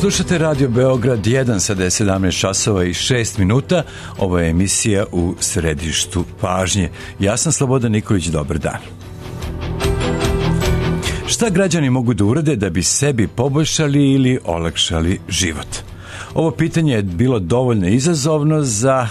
Slušate Radio Beograd 1, sada je 17 časova i 6 minuta. Ovo je emisija u središtu pažnje. Ja sam Slobodan Nikolić, dobar dan. Šta građani mogu da urade da bi sebi poboljšali ili olakšali život? Ovo pitanje je bilo dovoljno izazovno za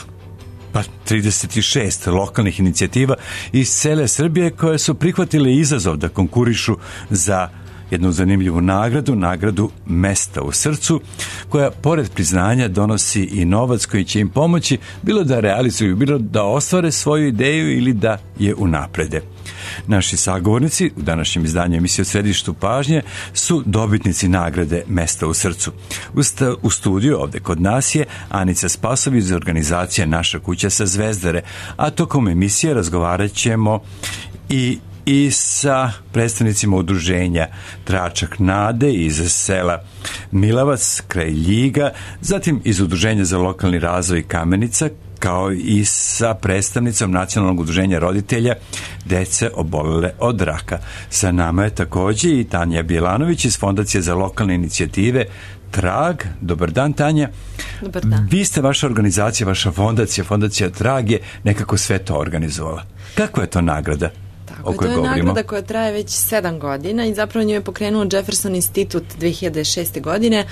36 lokalnih inicijativa iz cele Srbije koje su prihvatile izazov da konkurišu za jednu zanimljivu nagradu Mesta u srcu, koja pored priznanja donosi i novac koji će im pomoći bilo da realizuju, bilo da ostvare svoju ideju ili da je unaprede. Naši sagovornici u današnjem izdanju emisije u središtu pažnje su dobitnici nagrade Mesta u srcu. U studiju ovde kod nas je Anica Spasović iz organizacije Naša kuća sa Zvezdare, a tokom emisije razgovarat ćemo i sa predstavnicima udruženja Tračak nade iz sela Milavac kraj Ljiga, zatim iz udruženja za lokalni razvoj Kamenica, kao i sa predstavnicom Nacionalnog udruženja roditelja dece obolele od raka. Sa nama je takođe i Tanja Bjelanović iz Fondacije za lokalne inicijative Trag. Dobar dan, Tanja. Dobar dan. Vi ste vaša organizacija, vaša fondacija Trag je nekako sve to organizovala. Kako je to nagrada? To je nagrada koja traje već 7 godina i zapravo nju je pokrenuo Jefferson Institut 2006. godine.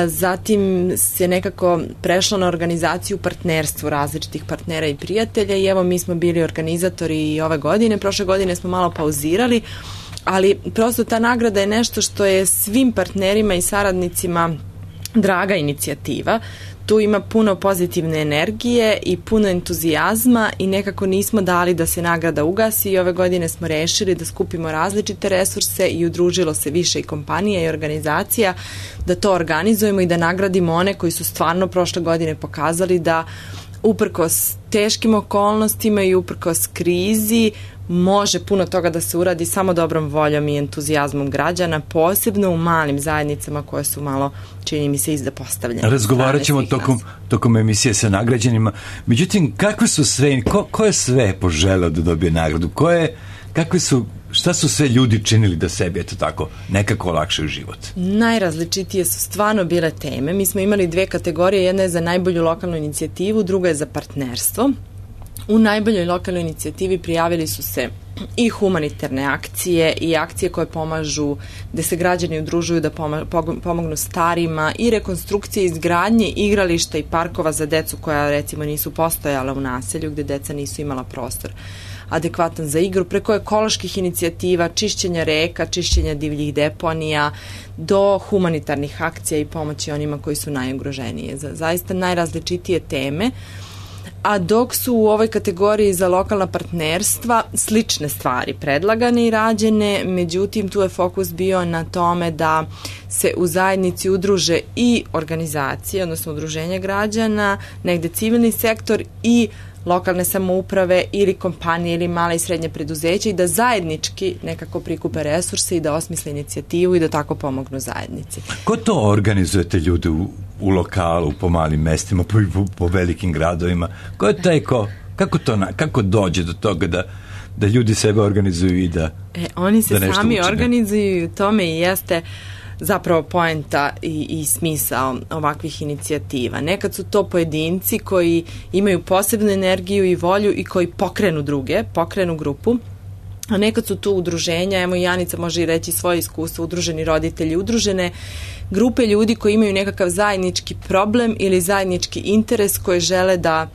Zatim se nekako prešlo na organizaciju partnerstvu različitih partnera i prijatelja i evo mi smo bili organizatori i ove godine. Prošle godine smo malo pauzirali, ali prosto ta nagrada je nešto što je svim partnerima i saradnicima draga inicijativa. Tu ima puno pozitivne energije i puno entuzijazma i nekako nismo dali da se nagrada ugasi i ove godine smo rešili da skupimo različite resurse i udružilo se više i kompanija i organizacija da to organizujemo i da nagradimo one koji su stvarno prošle godine pokazali da uprkos teškim okolnostima i uprkos krizi može puno toga da se uradi samo dobrom voljom i entuzijazmom građana, posebno u malim zajednicama koje su malo, čini mi se, izdapostavljene. Razgovarat ćemo tokom emisije sa nagrađenima. Međutim, kakve su sve, ko je sve poželeo da dobije nagradu? Šta su sve ljudi činili da sebi, eto tako, nekako olakšaju život? Najrazličitije su stvarno bile teme. Mi smo imali 2 kategorije, jedna je za najbolju lokalnu inicijativu, druga je za partnerstvo. U najboljoj lokalnoj inicijativi prijavili su se i humanitarne akcije i akcije koje pomažu, gde se građani udružuju da pomognu starima i rekonstrukcije izgradnje igrališta i parkova za decu koja recimo nisu postojala u naselju gde deca nisu imala prostor adekvatan za igru, preko ekoloških inicijativa, čišćenja reka, čišćenja divljih deponija, do humanitarnih akcija i pomoći onima koji su najugroženije. Zaista najrazličitije teme. A dok su u ovoj kategoriji za lokalna partnerstva slične stvari predlagane i rađene, međutim tu je fokus bio na tome da se u zajednici udruže i organizacije, odnosno udruženja građana, negde civilni sektor i lokalne samouprave ili kompanije ili male i srednje preduzeće i da zajednički nekako prikupe resurse i da osmisle inicijativu i da tako pomognu zajednici. Ko to organizujete ljude u lokalu, po malim mestima, po velikim gradovima? Ko je taj kako dođe do toga da ljudi sebe organizuju i da oni se da sami učine? Organizuju i u tome i jeste zapravo poenta i smisao ovakvih inicijativa. Nekad su to pojedinci koji imaju posebnu energiju i volju i koji pokrenu grupu, a nekad su tu udruženja, evo i Anica može i reći svoje iskustvo, udruženi roditelji, udružene grupe ljudi koji imaju nekakav zajednički problem ili zajednički interes koje žele da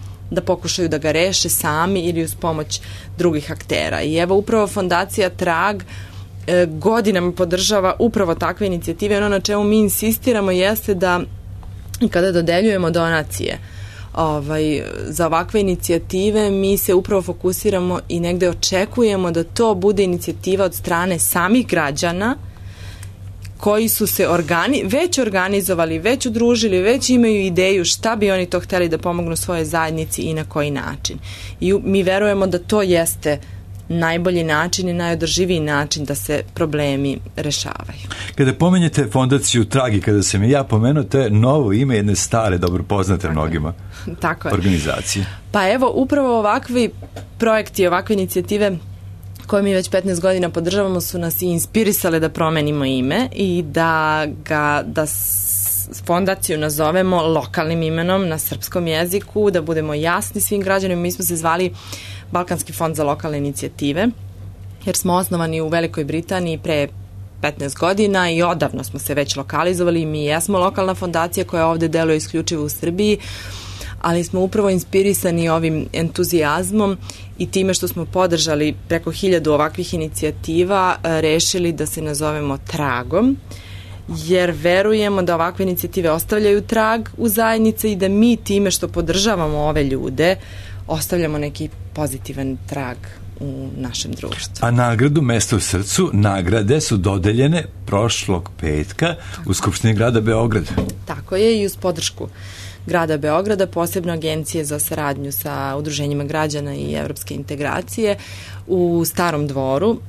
pokušaju da ga reše sami ili uz pomoć drugih aktera. I evo upravo Fondacija Trag godinama podržava upravo takve inicijative. Ono na čemu mi insistiramo jeste da kada dodeljujemo donacije za ovakve inicijative mi se upravo fokusiramo i negde očekujemo da to bude inicijativa od strane samih građana koji su se već organizovali, već udružili, već imaju ideju šta bi oni to hteli da pomognu svojoj zajednici i na koji način. I mi verujemo da to jeste najbolji način i najodrživiji način da se problemi rešavaju. Kada pomenjete fondaciju Trag i kada sam ja pomenuo, to je novo ime jedne stare, dobro poznate mnogima organizacije. Pa evo, upravo ovakvi projekti, ovakve inicijative koje mi već 15 godina podržavamo su nas i inspirisale da promenimo ime i da fondaciju nazovemo lokalnim imenom na srpskom jeziku, da budemo jasni svim građanima. Mi smo se zvali Balkanski fond za lokalne inicijative, jer smo osnovani u Velikoj Britaniji pre 15 godina i odavno smo se već lokalizovali. Mi jesmo lokalna fondacija koja ovde deluje isključivo u Srbiji, ali smo upravo inspirisani ovim entuzijazmom i time što smo podržali preko 1000 ovakvih inicijativa, rešili da se nazovemo Tragom, jer verujemo da ovakve inicijative ostavljaju trag u zajednici i da mi time što podržavamo ove ljude ostavljamo neki pozitivan trag u našem društvu. A nagradu Mesto u srcu, nagrade su dodeljene prošlog petka u Skupštini grada Beograda. Tako je, i uz podršku grada Beograda, posebno Agencije za saradnju sa udruženjima građana i evropske integracije u Starom dvoru.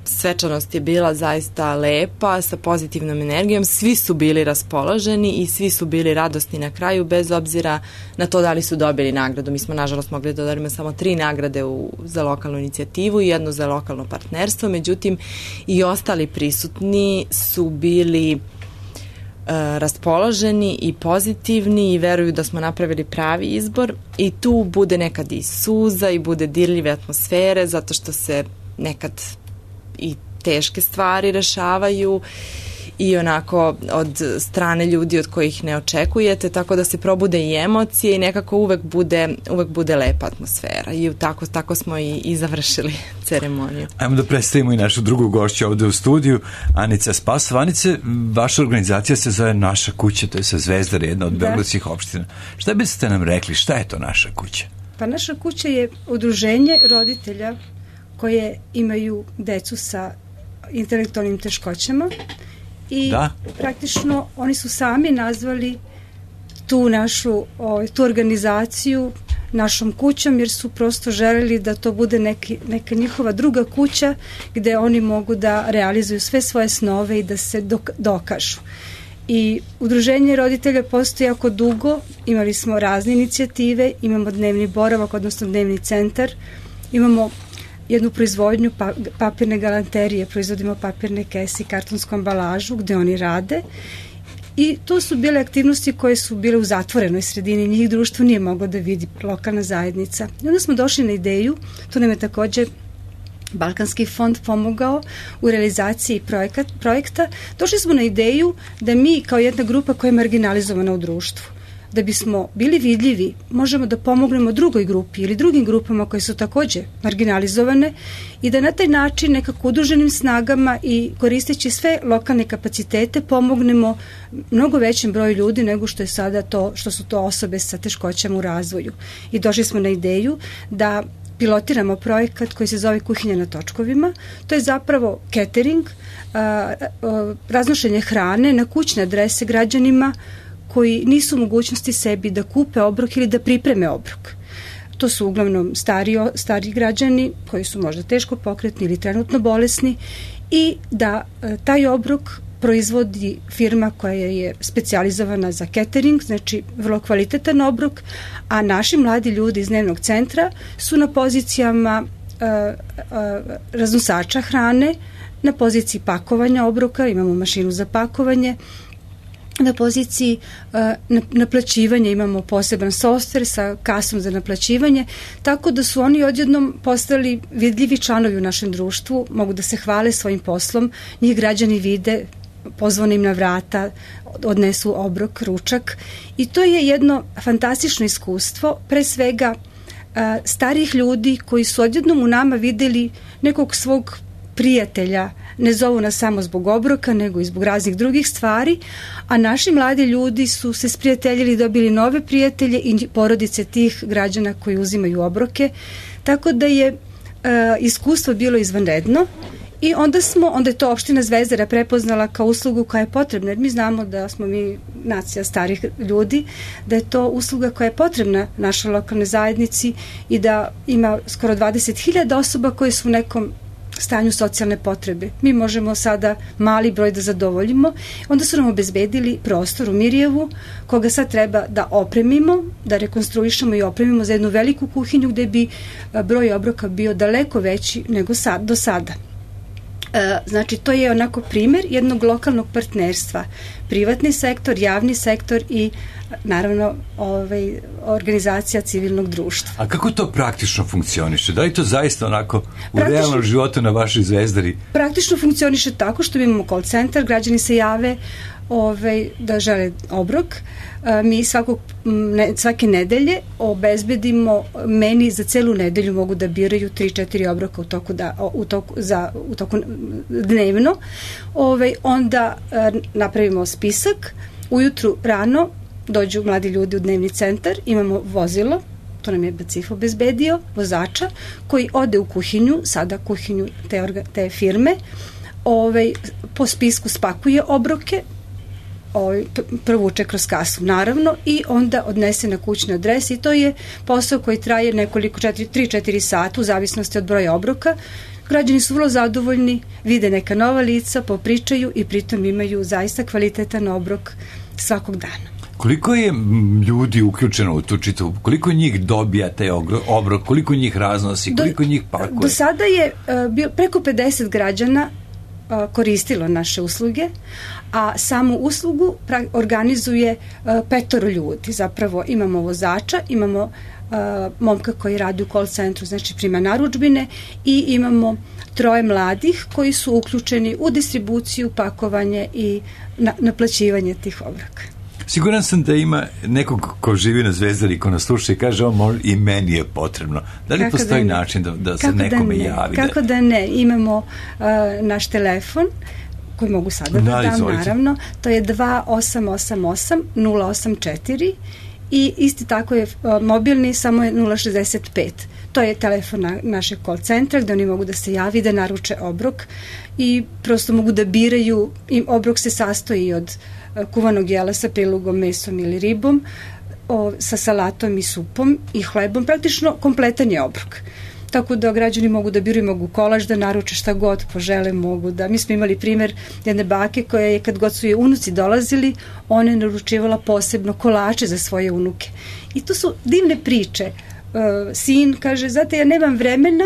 Svečanost je bila zaista lepa, sa pozitivnom energijom, svi su bili raspoloženi i svi su bili radosni na kraju, bez obzira na to da li su dobili nagradu. Mi smo nažalost mogli da dodelimo samo 3 nagrade za lokalnu inicijativu i 1 za lokalno partnerstvo, međutim i ostali prisutni su bili raspoloženi i pozitivni i veruju da smo napravili pravi izbor, i tu bude nekad i suza i bude dirljive atmosfere, zato što se nekad i teške stvari rešavaju i onako od strane ljudi od kojih ne očekujete, tako da se probude i emocije i nekako uvek bude lepa atmosfera, i tako smo i završili ceremoniju. Ajmo da predstavimo i našu drugu gošću ovde u studiju, Anica Spasov. Anice, vaša organizacija se zove Naša kuća, to je sa Zvezdare, jedna od beogradskih opština. Šta biste nam rekli, šta je to Naša kuća? Pa Naša kuća je udruženje roditelja koje imaju decu sa intelektualnim teškoćama i praktično oni su sami nazvali tu organizaciju našom kućom, jer su prosto želeli da to bude neka njihova druga kuća gde oni mogu da realizuju sve svoje snove i da se dokažu. I udruženje roditelja postoji jako dugo, imali smo razne inicijative, imamo dnevni boravak, odnosno dnevni centar, imamo jednu proizvodnju papirne galanterije, proizvodimo papirne kese i kartonsku ambalažu gde oni rade, i to su bile aktivnosti koje su bile u zatvorenoj sredini, njih društvo nije moglo da vidi, lokalna zajednica. I onda smo došli na ideju, to nam je takođe Balkanski fond pomogao u realizaciji projekta, došli smo na ideju da mi kao jedna grupa koja je marginalizovana u društvu, da bismo bili vidljivi, možemo da pomognemo drugoj grupi ili drugim grupama koje su takođe marginalizovane i da na taj način nekako udruženim snagama i koristeći sve lokalne kapacitete pomognemo mnogo većem broju ljudi nego što je sada što su to osobe sa teškoćama u razvoju. I došli smo na ideju da pilotiramo projekat koji se zove Kuhinja na točkovima. To je zapravo catering, raznošenje hrane na kućne adrese građanima koji nisu u mogućnosti sebi da kupe obrok ili da pripreme obrok. To su uglavnom stari građani koji su možda teško pokretni ili trenutno bolesni, i da taj obrok proizvodi firma koja je specijalizovana za catering, znači vrlo kvalitetan obrok, a naši mladi ljudi iz dnevnog centra su na pozicijama raznosača hrane, na poziciji pakovanja obroka, imamo mašinu za pakovanje, na poziciji naplaćivanja imamo poseban softver sa kasom za naplaćivanje, tako da su oni odjednom postali vidljivi članovi u našem društvu, mogu da se hvale svojim poslom, njih građani vide, pozvane im na vrata, odnesu obrok, ručak, i to je jedno fantastično iskustvo, pre svega starih ljudi koji su odjednom u nama videli nekog svog prijatelja, ne zovu nas samo zbog obroka, nego i zbog raznih drugih stvari, a naši mladi ljudi su se sprijateljili, dobili nove prijatelje i porodice tih građana koji uzimaju obroke, tako da je iskustvo bilo izvanredno. I onda je to opština Zvezdara prepoznala kao uslugu koja je potrebna, jer mi znamo da smo mi nacija starih ljudi, da je to usluga koja je potrebna našoj lokalnoj zajednici i da ima skoro 20.000 osoba koje su u nekom stanju socijalne potrebe. Mi možemo sada mali broj da zadovoljimo. Onda su nam obezbedili prostor u Mirjevu, koga sad treba da opremimo, da rekonstruišemo i opremimo za jednu veliku kuhinju gde bi broj obroka bio daleko veći nego do sada. Znači, to je onako primer jednog lokalnog partnerstva. privatni sektor, javni sektor i naravno organizacija civilnog društva. A kako to praktično funkcioniše? Da li to zaista onako u realnom životu na vašoj Zvezdari? Praktično funkcioniše tako što imamo call centar, građani se jave da žele obrok. Mi svake nedelje obezbedimo, meni za celu nedelju mogu da biraju 3-4 obroka u toku dnevno. Onda napravimo spisak, ujutru rano dođu mladi ljudi u dnevni centar, imamo vozilo, to nam je BACIF obezbedio, vozača, koji ode u kuhinju, sada kuhinju te firme, po spisku spakuje obroke, provuče kroz kasu, naravno, i onda odnese na kućne adrese i to je posao koji traje nekoliko 3-4 sata u zavisnosti od broja obroka. Građani su vrlo zadovoljni, vide neka nova lica, popričaju i pritom imaju zaista kvalitetan obrok svakog dana. Koliko je ljudi uključeno u tu čitavu? Koliko njih dobija taj obrok? Koliko njih raznosi? Koliko njih pakuje? Do sada je preko 50 građana koristilo naše usluge, a samu uslugu organizuje 5 ljudi. Zapravo imamo vozača, imamo momka koji radi u call centru, znači prima narudžbine, i imamo 3 mladih koji su uključeni u distribuciju, pakovanje i naplaćivanje tih obroka. Siguran sam da ima nekog ko živi na Zvezdari, ko nas sluša i kaže i meni je potrebno. Da li postoji način da se nekome javi? Kako da ne? Imamo naš telefon koji mogu sada da dam, naravno. To je 2888-084 i isti tako je mobilni, samo je 065. To je telefon našeg call centra gde oni mogu da se javi, da naruče obrok i prosto mogu da biraju. Obrok se sastoji od kuvanog jela sa prilugom, mesom ili ribom, sa salatom i supom i hlebom, praktično kompletan je obrok. Tako da građani mogu da biraju, mogu kolač da naruče, šta god požele, mogu da... Mi smo imali primer jedne bake koja je, kad god su je unuci dolazili, ona je naručivala posebno kolače za svoje unuke. I to su divne priče. Sin kaže, znate, ja nemam vremena,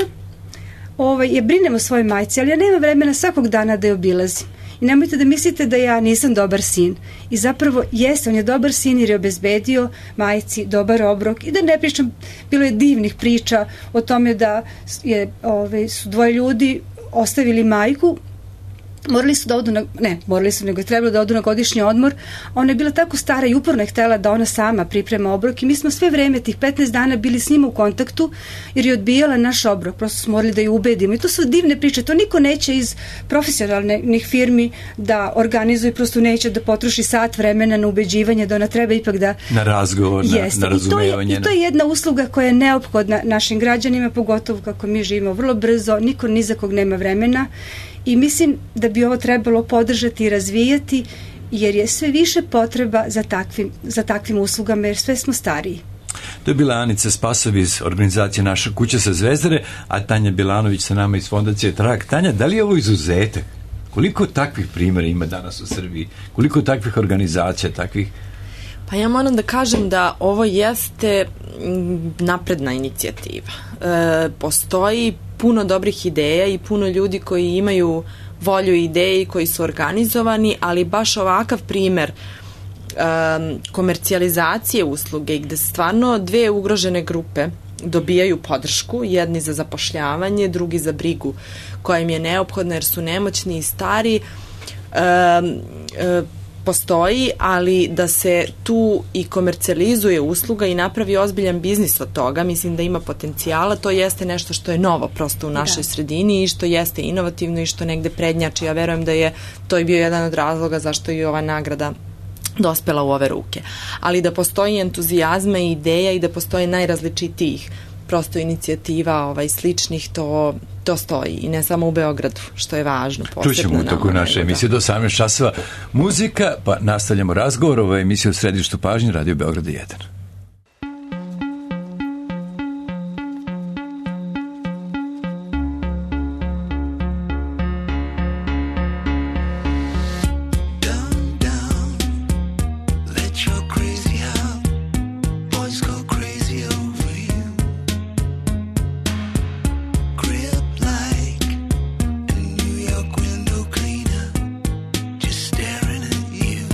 ja brinem o svojoj majci, ali ja nemam vremena svakog dana da je obilazim. I nemojte da mislite da ja nisam dobar sin. I zapravo jeste, on je dobar sin jer je obezbedio majci dobar obrok. I da ne pričam, bilo je divnih priča o tome da su 2 ljudi ostavili majku, nego je trebalo da odu na godišnji odmor. Ona je bila tako stara i uporno je htela da ona sama priprema obrok i mi smo sve vreme, tih 15 dana, bili s njima u kontaktu jer je odbijala naš obrok. Prosto smo morali da ju ubedimo. I to su divne priče. To niko neće iz profesionalnih firmi da organizuje, prosto neće da potroši sat vremena na ubeđivanje, da ona treba ipak da... Na razgovor, na razumevanje. I to je jedna usluga koja je neophodna našim građanima, pogotovo kako mi živimo vrlo brzo, niko ni za kog nema vremena. I mislim da bi ovo trebalo podržati i razvijati, jer je sve više potreba za takvim uslugama, jer sve smo stariji. To je bila Anica Spasov iz organizacije Naša kuća sa Zvezdare, a Tanja Bilanović sa nama iz fondacije Trag. Tanja, da li je ovo izuzetak? Koliko takvih primjera ima danas u Srbiji? Koliko takvih organizacija, takvih... Pa ja moram da kažem da ovo jeste napredna inicijativa. Postoji puno dobrih ideja i puno ljudi koji imaju volju i ideje i koji su organizovani, ali baš ovakav primer komercijalizacije usluge gde stvarno 2 ugrožene grupe dobijaju podršku, jedni za zapošljavanje, drugi za brigu koja im je neophodna jer su nemoćni i stari, postoji, ali da se tu i komercijalizuje usluga i napravi ozbiljan biznis od toga, mislim da ima potencijala. To jeste nešto što je novo prosto u našoj sredini i što jeste inovativno i što negde prednjači. Ja verujem da je to i bio jedan od razloga zašto je ova nagrada dospela u ove ruke. Ali da postoji entuzijazma i ideja i da postoji najrazličitijih prosto inicijativa sličnih, to stoji i ne samo u Beogradu, što je važno. Čućemo u toku naše emisije do 18 časova muzika, pa nastavljamo razgovor. Ovo je emisija u središtu pažnje Radio Beograda 1. Staring at you.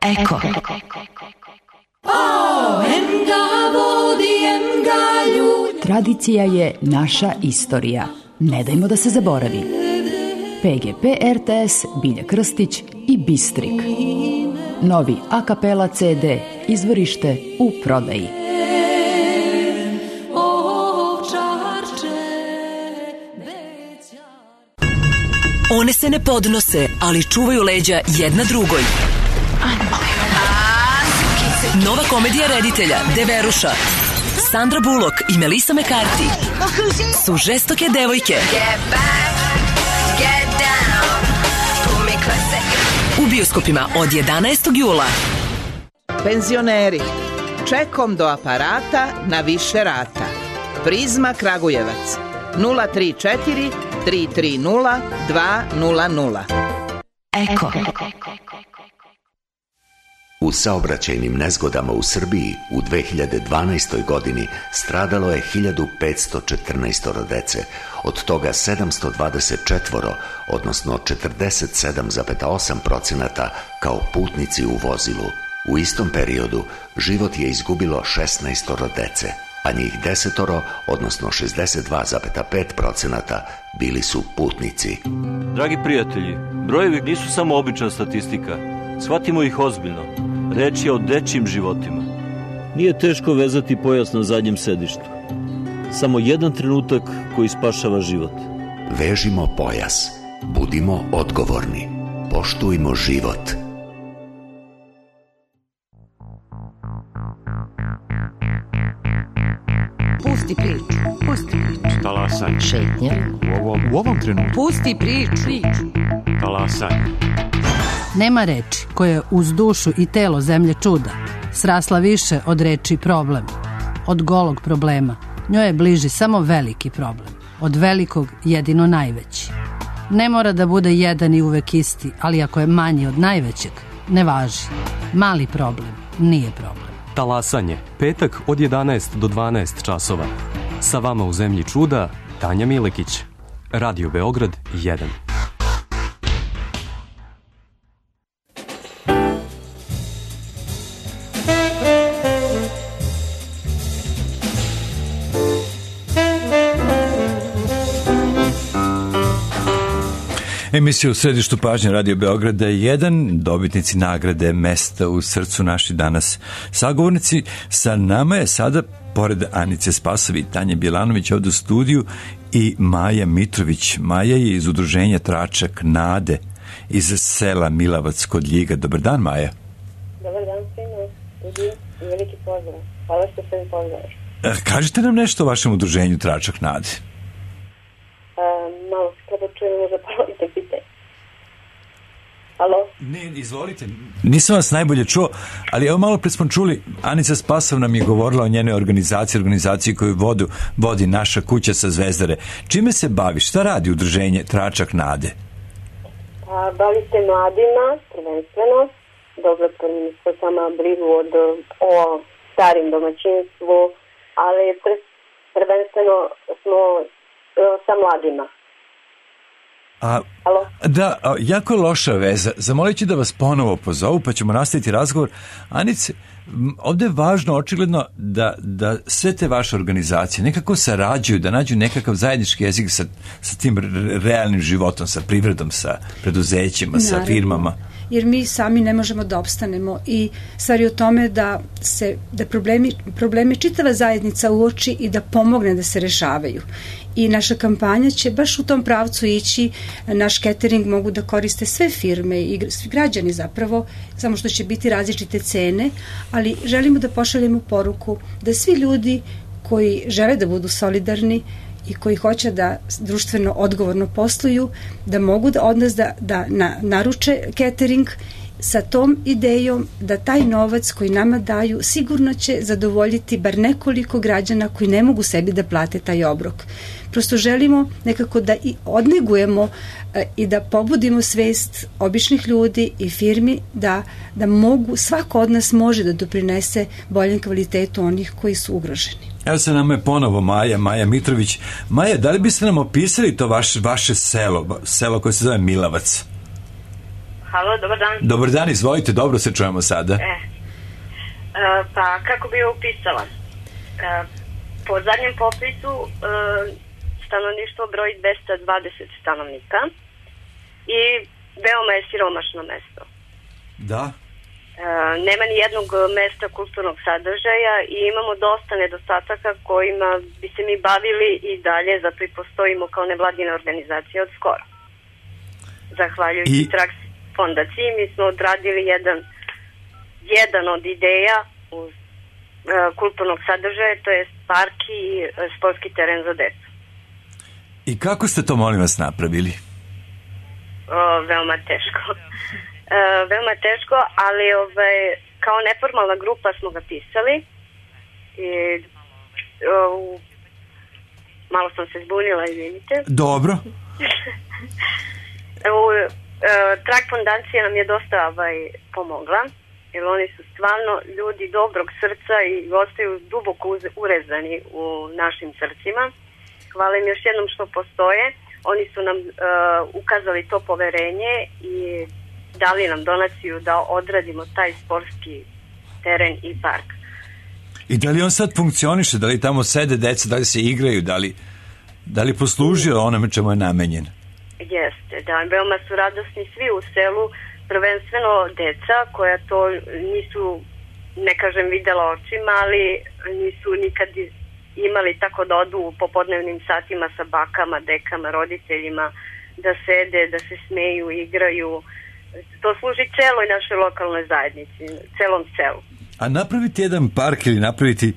Eko. Tradicija je naša istorija. Ne dajmo da se zaboravi. PGP RTS, Bilja Krstić i Bistrik. Novi a kapela CD, izvorište u prodaji. One se ne podnose, ali čuvaju leđa jedna drugoj. Nova komedija reditelja Deveruša, Sandra Bullock i Melissa McCarthy su žestoke devojke. U bioskopima od 11. jula. Penzioneri, čekom do aparata na više rata. Prizma Kragujevac 034 330 200. Eko. U saobraćajnim nezgodama u Srbiji u 2012. godini stradalo je 1514 dece, od toga 724, odnosno 47,8% kao putnici u vozilu. U istom periodu život je izgubilo 16 dece, a njih 10, odnosno 62,5% bili su putnici. Dragi prijatelji, brojevi nisu samo obična statistika. Shvatimo ih ozbiljno. Reč je o dečjim životima. Nije teško vezati pojas na zadnjem sedištu. Samo jedan trenutak koji spašava život. Vežimo pojas. Budimo odgovorni. Poštujmo život. Pusti priču. Talasaj. Šetnja. U ovom trenutku. Pusti priču. Talasaj. Nema reči koje uz dušu i telo zemlje čuda srasla više od reči problem. Od golog problema njoj je bliži samo veliki problem. Od velikog jedino najveći. Ne mora da bude jedan i uvek isti, ali ako je manji od najvećeg, ne važi. Mali problem nije problem. Talasanje, petak od 11 do 12 časova. Sa vama u zemlji čuda, Tanja Milekić. Radio Beograd 1. Emisija u središtu pažnje Radio Beograda 1, dobitnici nagrade Mesta u srcu, naši danas sagovornici. Sa nama je sada, pored Anice Spasovi i Tanje Bjelanović ovdje u studiju, i Maja Mitrović. Maja je iz udruženja Tračak nade iz sela Milavac kod Ljiga. Dobar dan, Maja. Dobar dan svima u studiju i veliki pozdrav. Hvala što se mi pozdraviš. Kažite nam nešto o vašem udruženju Tračak nade. Malo se kada čujemo za polovite pitanje. Alo? Ne, izvolite. Nisam vas najbolje čuo, ali evo malo pre smo čuli, Anica Spasov nam je govorila o njenoj organizaciji koju vodi Naša kuća sa Zvezdare. Čime se bavi? Šta radi udruženje Tračak nade? Bavi se mladima, prvenstveno, dobrotvornim sama brigu o starim domaćinstvu, ali prvenstveno smo sa mladima. Da, jako je loša veza. Zamolit ću da vas ponovo pozovu, pa ćemo nastaviti razgovor. Anice, ovdje je važno, očigledno, da sve te vaše organizacije nekako sarađuju, da nađu nekakav zajednički jezik sa tim realnim životom, sa privredom, sa preduzećima, sa firmama. Jer mi sami ne možemo da opstanemo i stvar je o tome da problemi čitava zajednica uoči i da pomogne da se rešavaju. I naša kampanja će baš u tom pravcu ići. Naš catering mogu da koriste sve firme i svi građani zapravo, samo što će biti različite cene, ali želimo da pošaljemo poruku da svi ljudi koji žele da budu solidarni i koji hoće da društveno odgovorno posluju, da mogu od nas da naruče catering sa tom idejom da taj novac koji nama daju sigurno će zadovoljiti bar nekoliko građana koji ne mogu sebi da plate taj obrok. Prosto želimo nekako da i odnegujemo i da pobudimo svest običnih ljudi i firmi da mogu, svako od nas može da doprinese boljem kvalitetu onih koji su ugroženi. Evo se nama je ponovo Maja Mitrović. Maja, da li biste nam opisali to vaše selo koje se zove Milavac? Halo, dobar dan. Dobar dan, izvolite, dobro se čujemo sada. Pa kako bi upisala? Po zadnjem popisu stanovništvo broji 220 stanovnika i veoma je siromašno mesto. Da. Nema ni jednog mesta kulturnog sadržaja i imamo dosta nedostataka kojima bi se mi bavili i dalje, zato i postojimo kao nevladina organizacija od skora. Zahvaljujući Trax fondaciji mi smo odradili jedan od ideja uz kulturnog sadržaja, to je park i sportski teren za decu. I kako ste to, molim vas, napravili? Veoma teško. Veoma teško, ali kao neformalna grupa smo ga pisali i malo sam se zbunila, izvinite. Dobro. Track fondacija nam je dosta pomogla, jer oni su stvarno ljudi dobrog srca i ostaju duboko urezani u našim srcima. Hvala im još jednom što postoje. Oni su nam ukazali to poverenje i dali nam donaciju da odradimo taj sportski teren i park. I da li on sad funkcioniše? Da li tamo sede deca, da li se igraju, da li poslužio onome čemu je namenjen? Jeste, da. Veoma su radosni svi u selu, prvenstveno deca koja to nisu, ne kažem videla očima, ali nisu nikad imali tako da odu u popodnevnim satima sa bakama, dekama, roditeljima, da sede, da se smeju, igraju. To služi celoj našoj lokalnoj zajednici, celom selu. A napraviti jedan park ili napraviti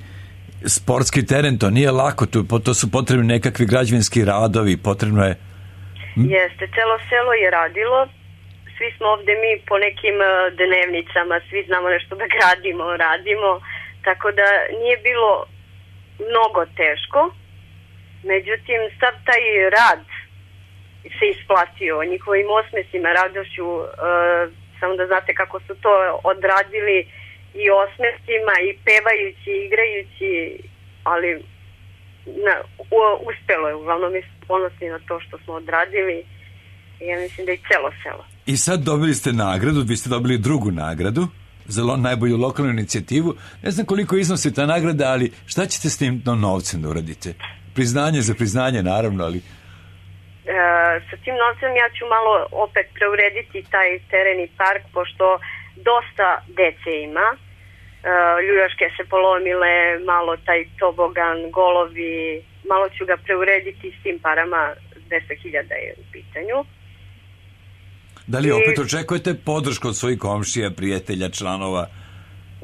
sportski teren, to nije lako, to su potrebni nekakvi građevinski radovi, potrebno je... Jeste, celo selo je radilo, svi smo ovde mi po nekim dnevnicama, svi znamo nešto da radimo, tako da nije bilo mnogo teško, međutim sav taj rad se isplatio njihovim osmesima, radošću, samo da znate kako su to odradili i osmesima i pevajući, igrajući, ali uspelo je, uglavnom mi smo ponosni na to što smo odradili i ja mislim da i celo selo. I sad dobili ste nagradu, vi ste dobili drugu nagradu za najbolju lokalnu inicijativu. Ne znam koliko iznosi ta nagrada, ali šta ćete s tim novcem da uradite? Priznanje za priznanje, naravno, ali... Sa tim novcem ja ću malo opet preurediti taj teren i park, pošto dosta dece ima. Ljuljaške se polomile, malo taj tobogan, golovi, malo ću ga preurediti s tim parama, 10.000 je u pitanju. Da li opet očekujete podršku od svojih komšija, prijatelja, članova?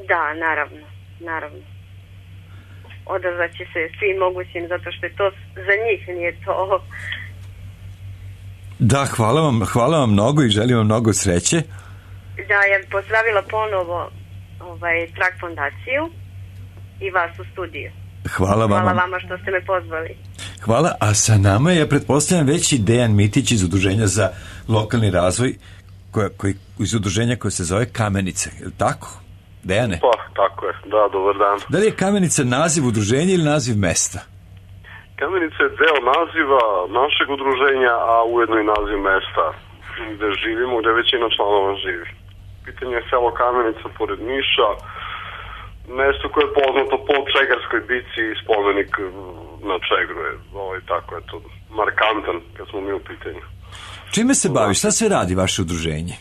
Da, naravno. Odazvaće se svim mogućim, zato što je to za njih, nije to... Da, hvala vam mnogo i želim vam mnogo sreće. Da, ja bih pozdravila ponovo Track fondaciju i vas u studiju. Hvala vama što ste me pozvali. Hvala, a sa nama je, pretpostavljam, već i Dejan Mitić iz Udruženja za lokalni razvoj, iz udruženja koje se zove Kamenice, je li tako? Dejane? Pa, tako je, da, dobar dan. Da li je Kamenica naziv udruženja ili naziv mesta? Kamenica je deo naziva našeg udruženja, a ujedno i naziv mesta gde živimo, gde većina članova živi. Pitanje je selo Kamenica pored Niša, mesto koje je poznato po Čegarskoj bici i spomenik na Čegru je, tako je to markantan kad smo mi u pitanju. Čime se bavi? Šta se radi vaše udruženje?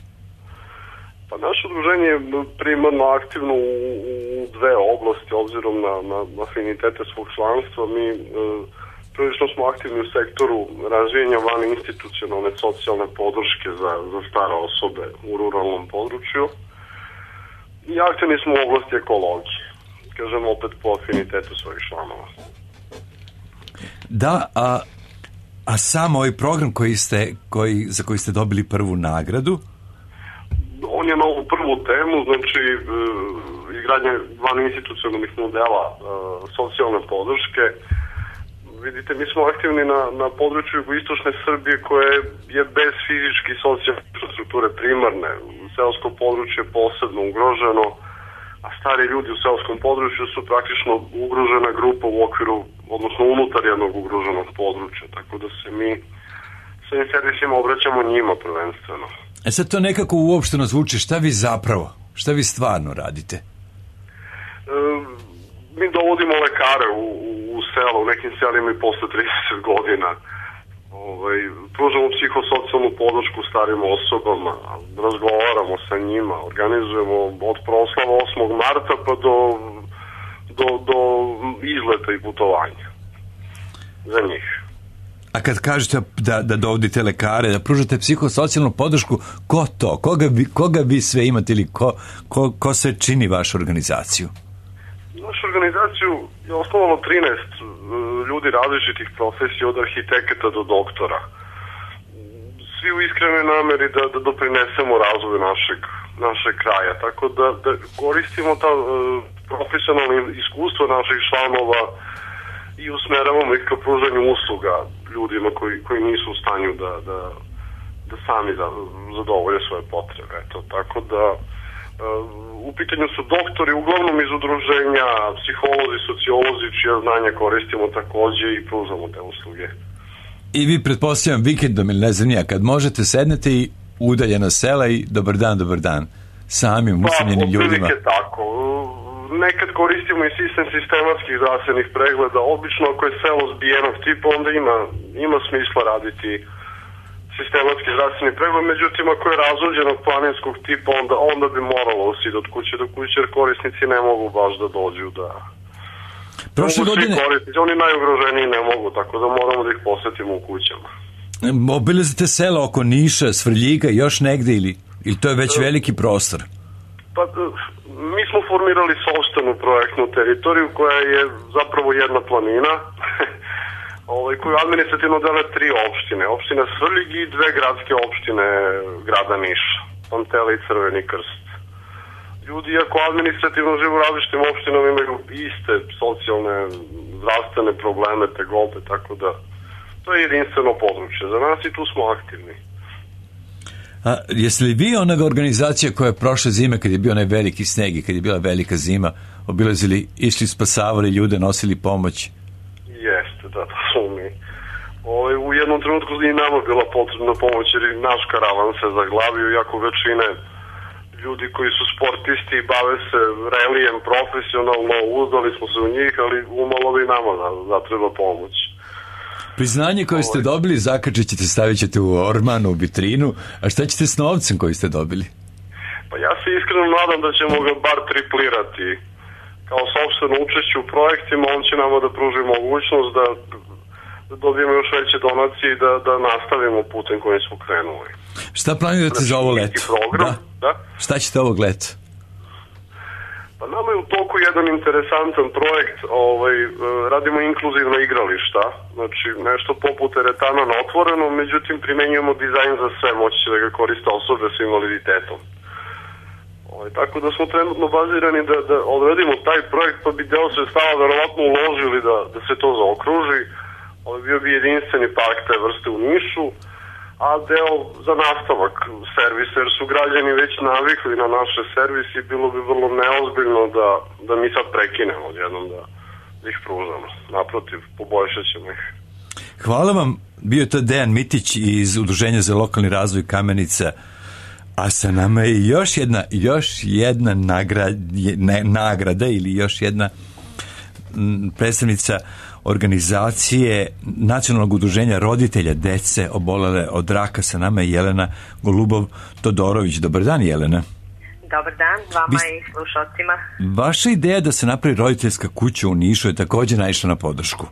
Pa naše udruženje je primarno aktivno u dve oblasti, obzirom na afinitete svog članstva. Mi prilično smo aktivni u sektoru razvijenja van institucionalne socijalne podrške za stare osobe u ruralnom području i aktivni smo u oblasti ekologije, kažem opet po afinitetu svojih članova. Da, a sam ovaj program za koji ste dobili prvu nagradu? On je na ovu prvu temu, znači izgradnje van institucionalnih modela socijalne podrške. Vidite, mi smo aktivni na području jugoistočne Srbije koje je bez fizičke i socijalne infrastrukture primarne. Seosko područje je posebno ugroženo, a stari ljudi u seoskom području su praktično ugrožena grupa u okviru, odnosno unutar jednog ugroženog područja. Tako da se mi svojim servisima obraćamo njima prvenstveno. Sad to nekako uopšteno zvuči, šta vi stvarno radite? Mi dovodimo lekare u selo, u nekim selima i posle 30 godina. Pružamo psihosocijalnu podršku starim osobama, razgovaramo sa njima, organizujemo od proslava 8. marta pa do izleta i putovanja za njih. A kad kažete da dovodite lekare, da pružate psihosocijalnu podršku, ko to? Koga vi sve imate ili ko sve čini vašu organizaciju? Našu organizaciju je osnovalo 13 ljudi različitih profesija, od arhitekata do doktora. Svi u iskrenoj nameri da doprinesemo razvoju našeg kraja. Tako da koristimo ta profesionalna iskustva naših članova i usmeravamo ih ka pružanju usluga ljudima koji nisu u stanju da sami zadovolje svoje potrebe. Tako da u pitanju su doktori, uglavnom iz udruženja, psiholozi, sociolozi, čija znanja koristimo takođe i pružamo te usluge. I vi, pretpostavljam, vikendom ili ne znam nija, kad možete sednete i udaljena sela i dobar dan, samim usamljenim ljudima. Pa, tako. Nekad koristimo i sistem sistematskih zdravstvenih pregleda. Obično ako je selo zbijenog tipa, onda ima smisla raditi sistematski zdravstveni pregled, međutim ako je razuđenog planinskog tipa, onda bi moralo usiti od kuće do kuće, jer korisnici ne mogu baš da dođu da... Prošle godine... Oni najugroženiji ne mogu, tako da moramo da ih posetimo u kućama. Obilazite sela oko Niša, Svrljiga, još negde ili to je već veliki prostor? Pa, mi smo formirali sopstvenu projektnu teritoriju koja je zapravo jedna planina, koju administrativno dele 3 opštine. Opština Svrljig i 2 gradske opštine grada Niša, Pantele i Crveni Krst. Ljudi, ako administrativno žive u različitim opštinama, imaju iste socijalne, zdravstvene probleme, tegobe, tako da to je jedinstveno područje za nas i tu smo aktivni. A jeste li vi onoga organizacija koja je prošle zime, kad je bio onaj veliki sneg i kad je bila velika zima, obilazili, išli, spasavali ljude, nosili pomoć? Jeste, da smo mi. U jednom trenutku i nama bila potrebna pomoć jer i naš karavan se zaglavio, iako većine ljudi koji su sportisti i bave se relijem profesionalno, uzdali smo se u njih, ali umalo bi nama zatreba pomoć. Priznanje koje ste dobili zakačit ćete, stavit ćete u orman, u vitrinu, a šta ćete s novcem koji ste dobili? Pa ja se iskreno nadam da ćemo ga bar triplirati. Kao sopstveno učešće u projektima, on će nama da pruži mogućnost da dobijemo još veće donacije i da nastavimo putem kojim smo krenuli. Šta planirate za ovo leto? Da? Šta ćete ovog leta? Pa nama je u toku jedan interesantan projekt, radimo inkluzivna igrališta, znači nešto poput teretana na otvoreno, međutim primenjujemo dizajn za sve, moći će da ga koriste osobe s invaliditetom. Tako da smo trenutno bazirani da odredimo taj projekt, pa bi deo sredstava verovatno uložili da se to zaokruži. Bio bi jedinstveni park te vrste u Nišu, a deo za nastavak servisa, jer su građani već navikli na naše servisi, bilo bi vrlo neozbiljno da mi sad prekinemo odjednom da ih pružamo. Naprotiv, poboljšat ćemo ih. Hvala vam, bio je to Dejan Mitić iz Udruženja za lokalni razvoj Kamenica, a sa nama je još jedna nagrada ili još jedna predstavnica organizacije Nacionalnog udruženja roditelja dece obolele od raka. Sa nama je Jelena Golubov-Todorović. Dobar dan, Jelena. Dobar dan, vama i slušalcima. Vaša ideja da se napravi roditeljska kuća u Nišu je također naišla na podršku.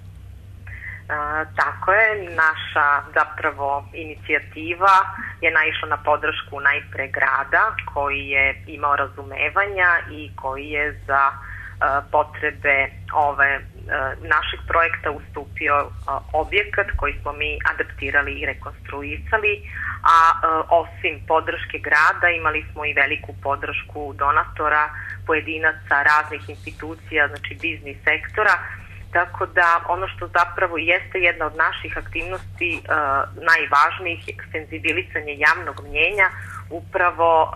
Tako je, naša zapravo inicijativa je naišla na podršku najpre grada koji je imao razumevanja i koji je za potrebe našeg projekta ustupio objekat koji smo mi adaptirali i rekonstruisali, a osim podrške grada imali smo i veliku podršku donatora, pojedinaca, raznih institucija, znači biznis sektora, tako da ono što zapravo jeste jedna od naših aktivnosti najvažnijih je senzibilisanje javnog mnjenja, upravo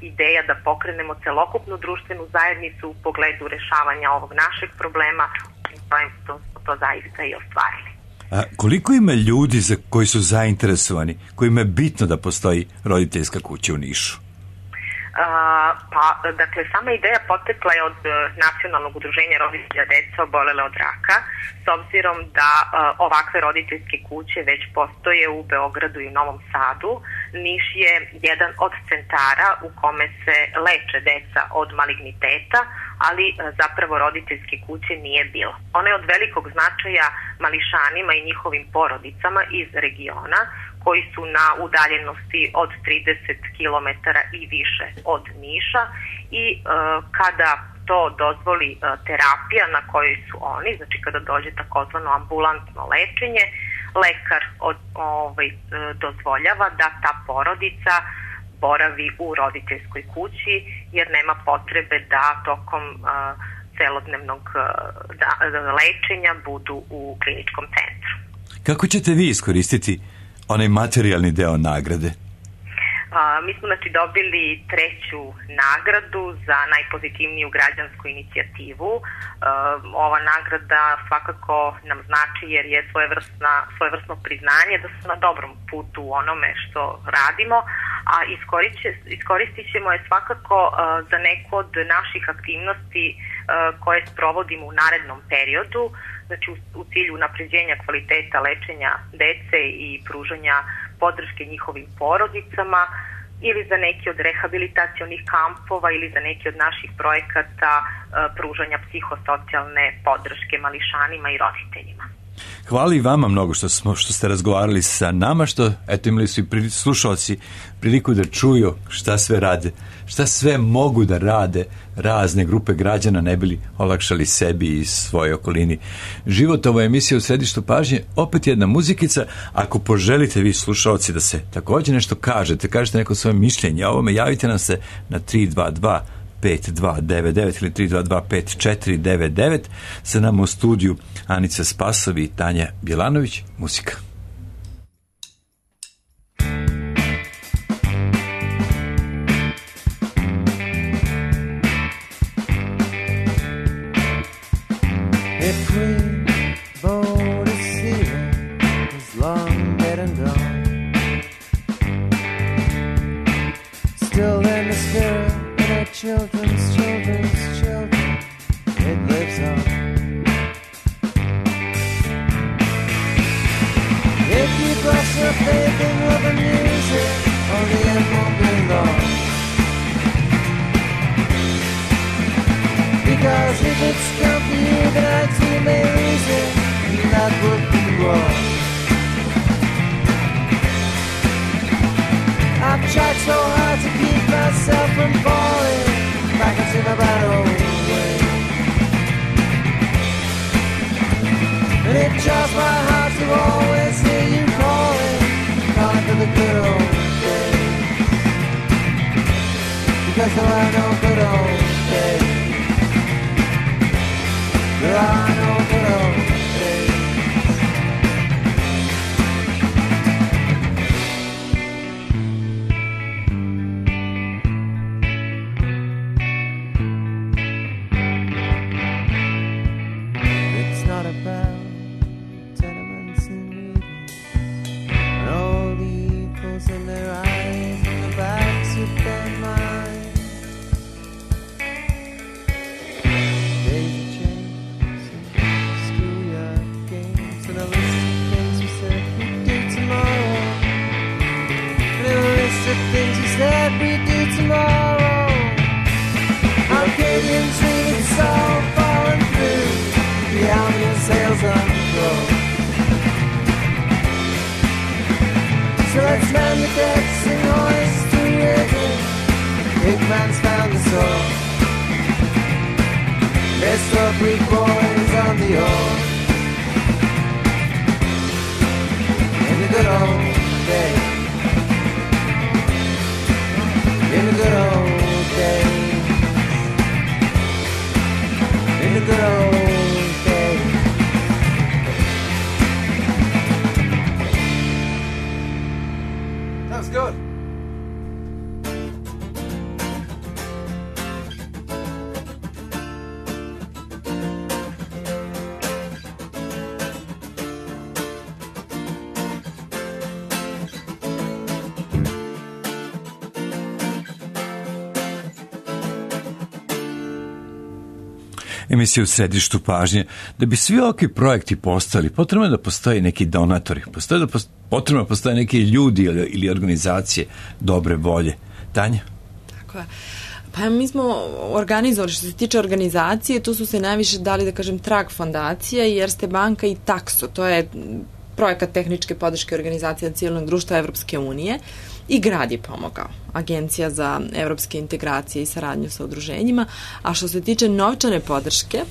ideja da pokrenemo celokupnu društvenu zajednicu u pogledu rešavanja ovog našeg problema, i to zaista i ostvarili. Koliko ima ljudi koji su zainteresovani, kojima je bitno da postoji roditeljska kuća u Nišu? Dakle, sama ideja potekla je od Nacionalnog udruženja roditelja dece obolele od raka, s obzirom da ovakve roditeljske kuće već postoje u Beogradu i u Novom Sadu. Niš je jedan od centara u kome se leče deca od maligniteta, ali zapravo roditeljske kuće nije bilo. Ona je od velikog značaja mališanima i njihovim porodicama iz regiona, koji su na udaljenosti od 30 km i više od Niša i kada to dozvoli terapija na kojoj su oni, znači kada dođe takozvano ambulantno lečenje, lekar dozvoljava da ta porodica boravi u roditeljskoj kući jer nema potrebe da tokom celodnevnog lečenja budu u kliničkom centru. Kako ćete vi iskoristiti onaj materijalni deo nagrade? Mi smo dobili 3. nagradu za najpozitivniju građansku inicijativu. Ova nagrada svakako nam znači jer je svojevrsno priznanje da smo na dobrom putu u onome što radimo, a iskoristit ćemo je svakako za neku od naših aktivnosti koje sprovodimo u narednom periodu, znači u cilju unapređenja kvaliteta lečenja dece i pružanja podrške njihovim porodicama ili za neki od rehabilitacionih kampova ili za neki od naših projekata pružanja psihosocijalne podrške mališanima i roditeljima. Hvala i vama mnogo što ste razgovarali sa nama, što imali su i slušalci priliku da čuju šta sve rade, šta sve mogu da rade razne grupe građana ne bili olakšali sebi i svojoj okolini. Život, ova emisija u središtu pažnje, opet jedna muzikica. Ako poželite vi slušalci da se također nešto kažete neko svoje mišljenje o ovome, javite nam se na 322 5299 ili 322 5499. Sa nama u studiju Anica Spasovi i Tanja Bjelanović. Muzika. Children's children, it lives on. If you cross your faith in love and music, only it won't be long. Because if it's come for you, then I too may lose it, and that would be wrong. I've tried so hard to keep myself from falling back into my bad old way. And it jars my heart to always hear you calling for the good old days. Because there are no good old days. There are no good old days. emisija u središtu pažnje. Da bi svi ovakvi projekti postali, potrebno je da postoje neki donatori, potrebno da postoje neki ljudi ili organizacije dobre volje. Tanja? Tako je. Pa mi smo organizovali, što se tiče organizacije, tu su se najviše dali, da kažem, Trag fondacija i Erste banka i Takso. To je projekat tehničke podrške organizacija civilnog društva Evropske unije i grad je pomogao. Agencija za evropske integracije i saradnju sa udruženjima. A što se tiče novčane podrške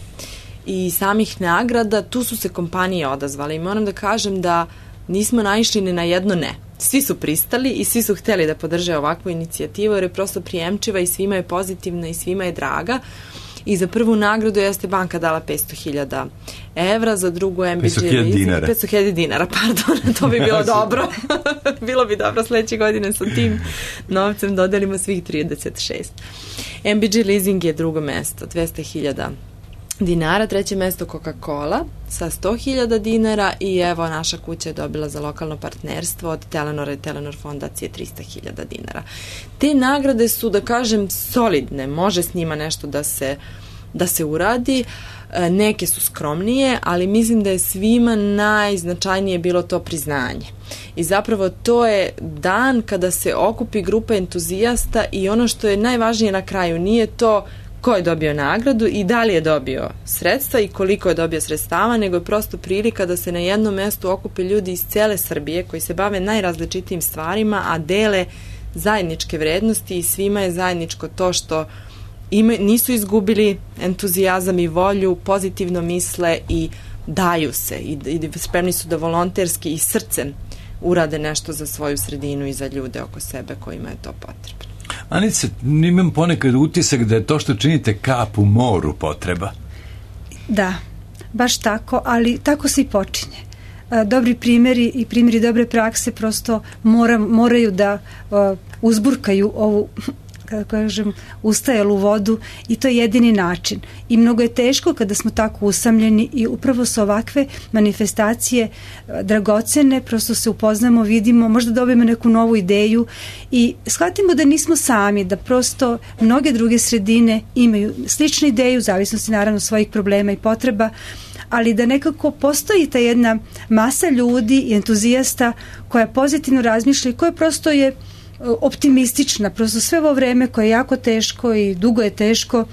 i samih nagrada, tu su se kompanije odazvale i moram da kažem da nismo naišli ni na jedno ne. Svi su pristali i svi su hteli da podrže ovakvu inicijativu jer je prosto prijemčiva i svima je pozitivna i svima je draga. I za prvu nagradu Erste banka dala 500.000 evra, za drugu MBG 500.000 dinara, pardon, to bi bilo dobro. Bilo bi dobro sledeće godine sa tim novcem dodelimo svih 36. MBG leasing je drugo mesto, 200.000 dinara, treće mesto Coca-Cola sa 100.000 dinara i evo naša kuća je dobila za lokalno partnerstvo od Telenora i Telenor fondacije 300.000 dinara. Te nagrade su, da kažem, solidne, može s njima nešto da se uradi, neke su skromnije, ali mislim da je svima najznačajnije bilo to priznanje. I zapravo to je dan kada se okupi grupa entuzijasta i ono što je najvažnije na kraju nije to ko je dobio nagradu i da li je dobio sredstva i koliko je dobio sredstava, nego je prosto prilika da se na jednom mestu okupe ljudi iz cele Srbije koji se bave najrazličitijim stvarima, a dele zajedničke vrednosti i svima je zajedničko to što nisu izgubili entuzijazam i volju, pozitivno misle i daju se i spremni su da volonterski i srcem urade nešto za svoju sredinu i za ljude oko sebe kojima je to potrebno. Anice, imam ponekad utisak da je to što činite kap u moru potreba. Da, baš tako, ali tako se i počinje. Dobri primjeri i primjeri dobre prakse prosto moraju da uzburkaju ovu, kako kažem, ustajalu vodu i to je jedini način. I mnogo je teško kada smo tako usamljeni i upravo su ovakve manifestacije dragocene, prosto se upoznamo, vidimo, možda dobijemo neku novu ideju i shvatimo da nismo sami, da prosto mnoge druge sredine imaju sličnu ideju, u zavisnosti naravno svojih problema i potreba, ali da nekako postoji ta jedna masa ljudi i entuzijasta koja pozitivno razmišlja i koja prosto je optimistična, prosto sve ovo vreme koje je jako teško i dugo je teško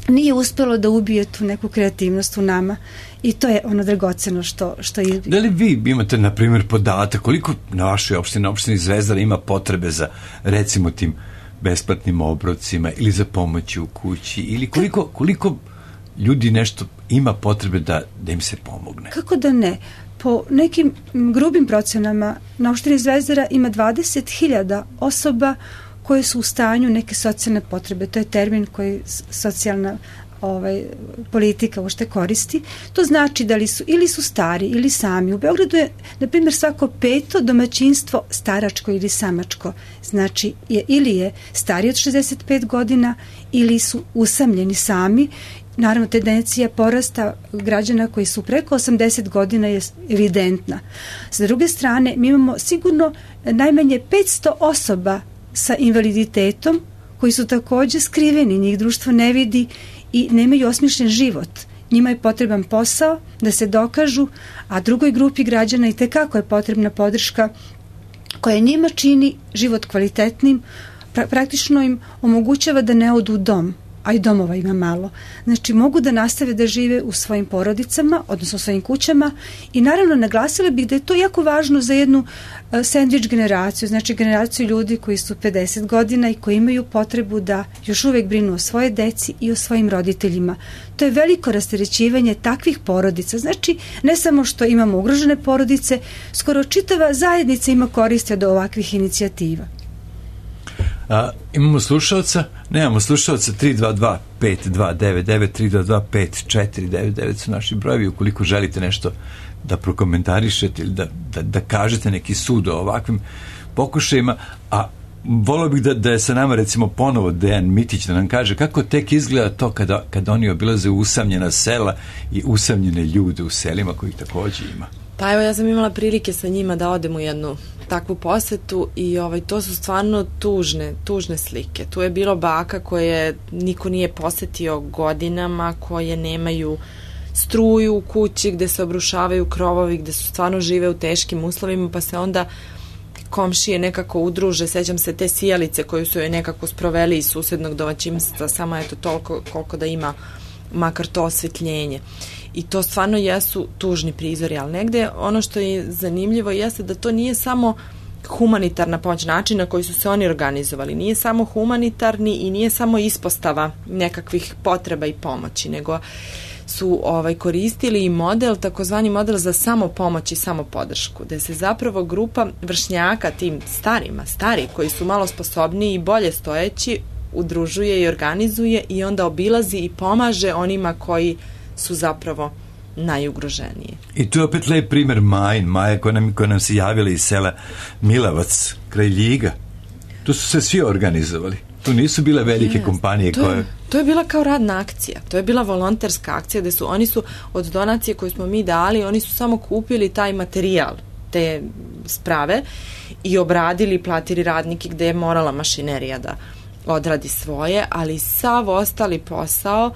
nije uspelo da ubije tu neku kreativnost u nama i to je ono dragoceno što je. Da li vi imate, na primjer, podatak koliko na vašoj opštini Zvezdara ima potrebe za, recimo, tim besplatnim obrocima ili za pomoći u kući ili koliko ljudi nešto ima potrebe da im se pomogne? Kako da ne? Po nekim grubim procenama na opštini Zvezdara ima 20.000 osoba koje su u stanju neke socijalne potrebe. To je termin koji socijalna politika uopšte koristi. To znači da li su ili su stari ili sami. U Beogradu je, na primjer, svako 5. domaćinstvo staračko ili samačko. Znači, ili je stariji od 65 godina ili su usamljeni sami. Naravno, tendencija porasta građana koji su preko 80 godina je evidentna. S druge strane, mi imamo sigurno najmanje 500 osoba sa invaliditetom koji su također skriveni, njih društvo ne vidi i nemaju osmišljen život. Njima je potreban posao da se dokažu, a drugoj grupi građana i tekako je potrebna podrška koja njima čini život kvalitetnim, praktično im omogućava da ne odu u dom, a i domova ima malo. Znači, mogu da nastave da žive u svojim porodicama, odnosno u svojim kućama i naravno naglasila bih da je to jako važno za jednu sandvič generaciju, znači generaciju ljudi koji su 50 godina i koji imaju potrebu da još uvek brinu o svoje deci i o svojim roditeljima. To je veliko rasterećivanje takvih porodica. Znači, ne samo što imamo ugrožene porodice, skoro čitava zajednica ima koristi od ovakvih inicijativa. Imamo slušalca? Nemamo slušalca. 322-5299, 322-5499 su naši brojevi. Ukoliko želite nešto da prokomentarišete ili da kažete neki sud o ovakvim pokušajima, a volio bih da je sa nama recimo ponovo Dejan Mitić da nam kaže kako tek izgleda to kada oni obilaze usamljena sela i usamljene ljude u selima kojih također ima. Pa evo, ja sam imala prilike sa njima da odem u jednu takvu posetu i to su stvarno tužne slike. Tu je bilo baka koje niko nije posetio godinama, koje nemaju struju u kući, gde se obrušavaju krovovi, gde su stvarno žive u teškim uslovima, pa se onda komšije nekako udruže. Sećam se te sijalice koju su joj nekako sproveli iz susednog domaćinstva, samo eto toliko koliko da ima makar to osvetljenje. I to stvarno jesu tužni prizori, ali negde ono što je zanimljivo jeste da to nije samo humanitarna pomoć, način na koji su se oni organizovali, nije samo humanitarni i nije samo ispostava nekakvih potreba i pomoći, nego su koristili i model, takozvani model za samopomoć i samopodršku, gde se zapravo grupa vršnjaka tim stari koji su malo sposobniji i bolje stojeći, udružuje i organizuje i onda obilazi i pomaže onima koji su zapravo najugroženiji. I tu je opet lep primer Maja koja nam se javila iz sela Milavac, kraj Ljiga. Tu su se svi organizovali. Tu nisu bile velike kompanije koje... To je bila kao radna akcija. To je bila volonterska akcija gde oni su od donacije koju smo mi dali, oni su samo kupili taj materijal, te sprave i obradili, platili radnike gde je morala mašinerija da odradi svoje, ali sav ostali posao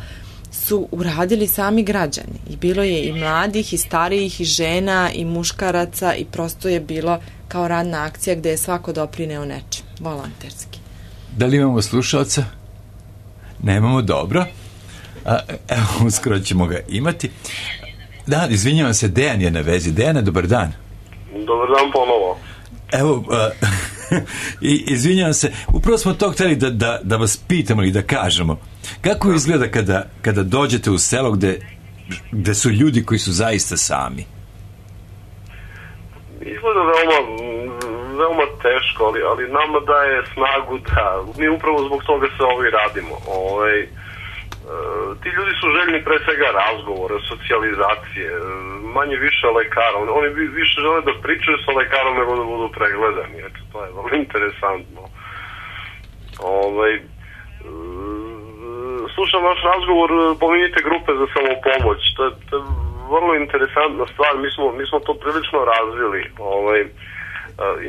su uradili sami građani. I bilo je i mladih, i starijih, i žena, i muškaraca i prosto je bilo kao radna akcija gde je svako doprineo nečem, volonterski. Da li imamo slušalca? Nemamo, dobro. Evo, uskoro ćemo ga imati. Da, izvinjavam se, Dejan je na vezi. Dejane, dobar dan. Dobar dan ponovo. Evo, izvinjavam se, upravo smo to hteli da vas pitamo i da kažemo. Kako izgleda kada dođete u selo gde su ljudi koji su zaista sami? Izgleda veoma teško, ali nama daje snagu da mi upravo zbog toga se ovo i radimo. Ti ljudi su željni pre svega razgovora, socijalizacije, manje više lekara. Oni više žele da pričaju sa lekarom nego da budu pregledani. Eto, to je vrlo interesantno. Slušam vaš razgovor, pominjite grupe za samopomoć. To je vrlo interesantna stvar. Mi smo to prilično razvili.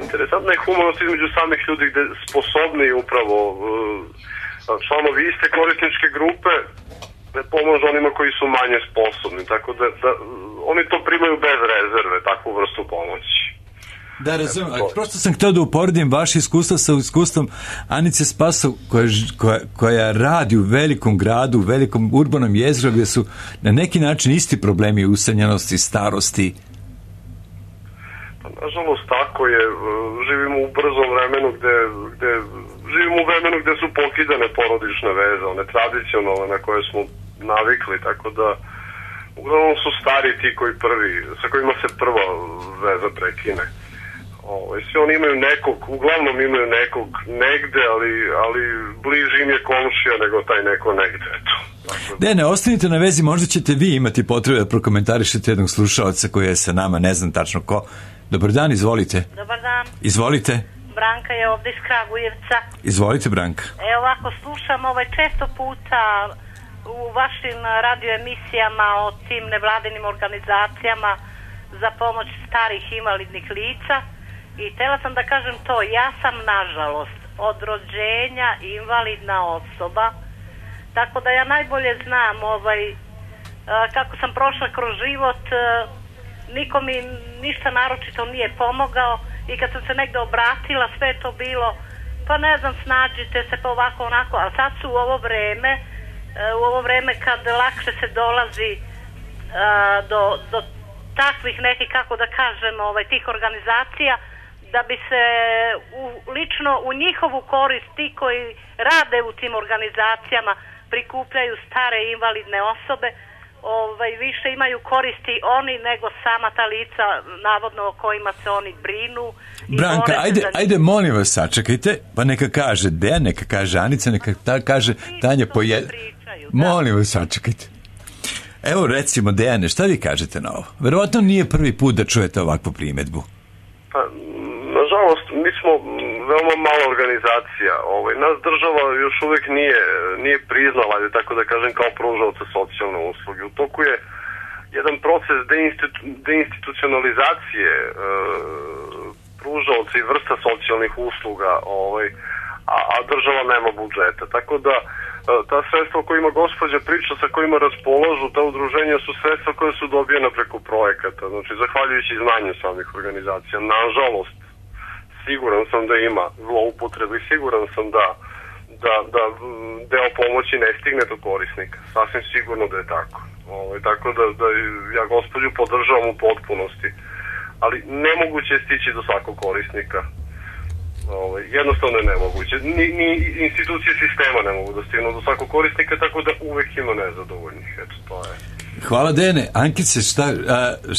Interesantna je humanost između samih ljudi gde sposobni upravo članovi iste korisničke grupe ne pomažu onima koji su manje sposobni, tako da oni to primaju bez rezerve, takvu vrstu pomoći. Da, razumem, prosto sam htio da uporedim vaše iskustva sa iskustvom Anice Spasov koja radi u velikom gradu, u velikom urbanom jezgru gde su na neki način isti problemi usamljenosti, starosti. Nažalost, tako je. Živimo u brzom vremenu živimo u vremenu gde su pokidane porodične veze, one tradicionalne na koje smo navikli, tako da uglavnom su stari ti sa kojima se prva veza prekine. Svi oni imaju uglavnom imaju nekog negde, ali bliži im je komšija nego taj neko negde, eto. Ne, ostanite na vezi, možda ćete vi imati potrebu da prokomentarišete jednog slušalca koji je sa nama, ne znam tačno ko. Dobar dan, izvolite. Dobar dan. Izvolite. Branka je ovde iz Kragujevca. Izvolite, Branka. Ovako, slušam često puta u vašim radioemisijama o tim nevladinim organizacijama za pomoć starih invalidnih lica i htela sam da kažem to, ja sam nažalost od rođenja invalidna osoba, tako da ja najbolje znam kako sam prošla kroz život. Niko mi ništa naročito nije pomogao i kad sam se negde obratila, sve je to bilo, pa ne znam, snađite se pa ovako onako, a sad su u ovo vreme kad lakše se dolazi do takvih nekih, kako da kažem, tih organizacija, da bi se lično u njihovu korist ti koji rade u tim organizacijama prikupljaju stare invalidne osobe, više imaju koristi oni nego sama ta lica navodno o kojima se oni brinu. Branka, ajde molim vas, sačekajte, pa neka kaže Dejan, neka kaže Anica, neka kaže Tanja po jedan. Molim vas, sačekajte. Evo recimo, Dejane, šta vi kažete na ovo? Verovatno nije prvi put da čujete ovakvu primedbu. Pa, nažalost, mi smo veoma mala organizacija. Nas država još uvijek nije priznala, tako da kažem, kao pružaoca socijalne usluge. U toku je jedan proces deinstitucionalizacije pružaoca i vrsta socijalnih usluga, a država nema budžeta. Tako da ta sredstva o kojima gospođa priča, sa kojima raspolažu ta udruženja, su sredstva koje su dobijena preko projekata, znači zahvaljujući znanju samih organizacija. Nažalost, siguran sam da ima zloupotrebe i siguran sam da deo pomoći ne stigne do korisnika. Sasvim sigurno da je tako. Tako da ja gospođu podržavam u potpunosti, ali nemoguće je stići do svakog korisnika. Jednostavno je nemoguće. Ni institucije sistema ne mogu da stignu do svakog korisnika, tako da uvek ima nezadovoljnih. Eto, to je. Hvala, Dejane. Ankice,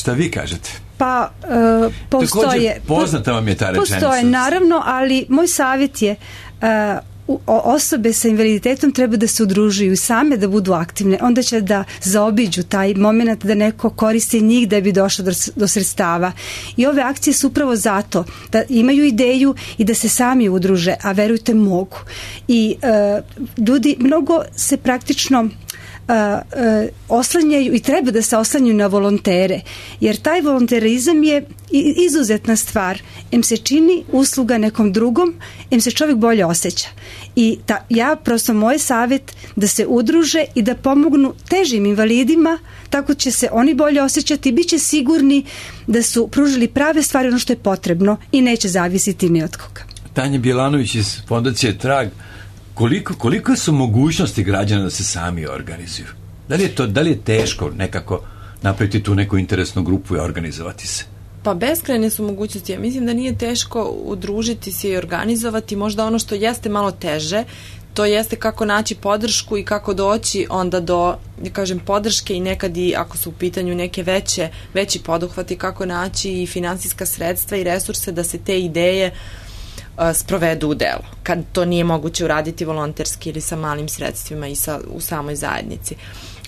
šta vi kažete? Pa, postoje... Također, poznata vam je ta rečenica. Postoje, naravno, ali moj savjet je osobe sa invaliditetom treba da se udružuju same, da budu aktivne, onda će da zaobiđu taj moment da neko koristi njih da bi došlo do sredstava. I ove akcije su upravo zato da imaju ideju i da se sami udruže, a verujte mogu. I ljudi mnogo se praktično oslanjaju i treba da se oslanjaju na volontere, jer taj volonterizam je izuzetna stvar. Em se čini usluga nekom drugom, em se čovjek bolje osjeća. I ja prosto moj savjet da se udruže i da pomognu težim invalidima, tako će se oni bolje osjećati i bit će sigurni da su pružili prave stvari, ono što je potrebno, i neće zavisiti ni od koga. Tanja Bjelanović iz Fondacije Trag, koliko su mogućnosti građana da se sami organizuju? Da li je teško nekako napraviti tu neku interesnu grupu i organizovati se? Pa beskrajne su mogućnosti. Ja mislim da nije teško udružiti se i organizovati. Možda ono što jeste malo teže, to jeste kako naći podršku i kako doći onda do, da kažem, podrške i nekad i ako su u pitanju neke veći poduhvati, kako naći i finansijska sredstva i resurse da se te ideje sprovedu u delo, kad to nije moguće uraditi volonterski ili sa malim sredstvima i u samoj zajednici.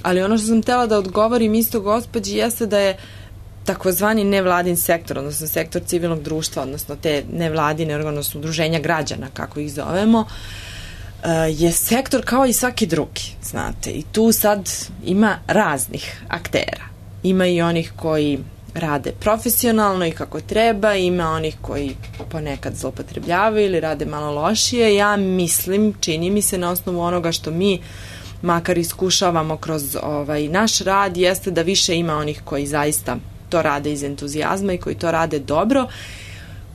Ali ono što sam htjela da odgovorim isto gospođi jeste da je takozvani nevladin sektor, odnosno sektor civilnog društva, odnosno te nevladine, odnosno udruženja građana, kako ih zovemo, je sektor kao i svaki drugi, znate. I tu sad ima raznih aktera. Ima i onih koji rade profesionalno i kako treba, ima onih koji ponekad zloupotrebljavaju ili rade malo lošije. Ja mislim, čini mi se na osnovu onoga što mi makar iskušavamo kroz naš rad, jeste da više ima onih koji zaista to rade iz entuzijazma i koji to rade dobro.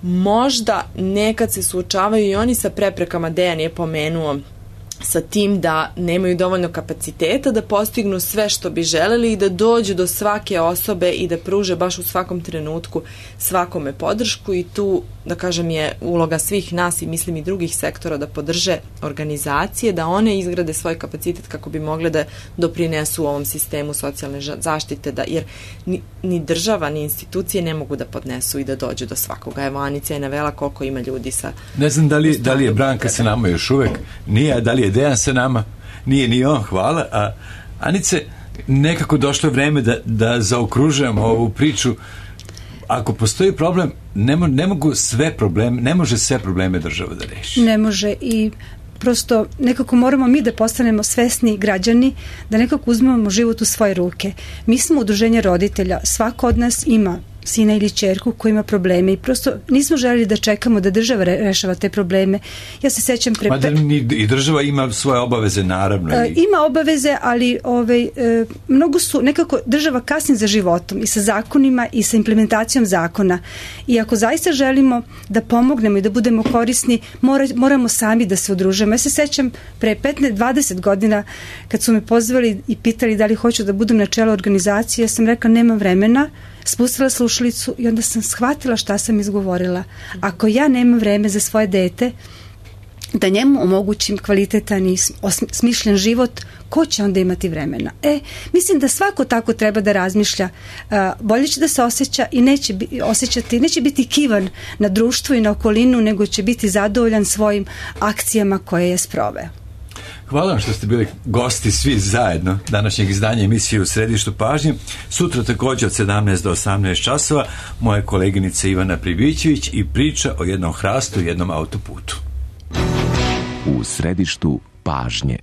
Možda nekad se suočavaju i oni sa preprekama, Dejan je pomenuo, sa tim da nemaju dovoljno kapaciteta da postignu sve što bi želeli i da dođu do svake osobe i da pruže baš u svakom trenutku svakome podršku, i tu, da kažem, je uloga svih nas i mislim i drugih sektora da podrže organizacije, da one izgrade svoj kapacitet kako bi mogle da doprinesu u ovom sistemu socijalne zaštite, jer ni država ni institucije ne mogu da podnesu i da dođu do svakoga. Evo, Anica je navela koliko ima ljudi sa... Ne znam da li je Branka sa nama još uvek, nije, da li je Dejan sa nama, nije ni on, hvala. A Anice, nekako došlo je vreme da zaokružujemo ovu priču. Ako postoji problem, ne može sve probleme država da reši. Ne može, i prosto nekako moramo mi da postanemo svesni građani, da nekako uzmemo život u svoje ruke. Mi smo udruženje roditelja, svako od nas ima sina ili ćerku koji ima probleme i prosto nismo želeli da čekamo da država rešava te probleme. Ja se sećam i država ima svoje obaveze, naravno. Ima obaveze, ali mnogo su, nekako država kasni za životom i sa zakonima i sa implementacijom zakona. I ako zaista želimo da pomognemo i da budemo korisni, moramo sami da se udružimo. Ja se sećam pre 15-20 godina kad su me pozvali i pitali da li hoću da budem na čelu organizacije, ja sam rekla nemam vremena, spustila slušalicu i onda sam shvatila šta sam izgovorila. Ako ja nemam vreme za svoje dete, da njemu omogućim kvalitetan i smišljen život, ko će onda imati vremena? Mislim da svako tako treba da razmišlja. Bolje će da se osjeća i neće biti kivan na društvo i na okolinu, nego će biti zadovoljan svojim akcijama koje je sproveo. Hvala vam što ste bili gosti svi zajedno današnjeg izdanja emisije U središtu pažnje. Sutra također od 17 do 18 časova moja koleginica Ivana Pribićević i priča o jednom hrastu i jednom autoputu. U središtu pažnje.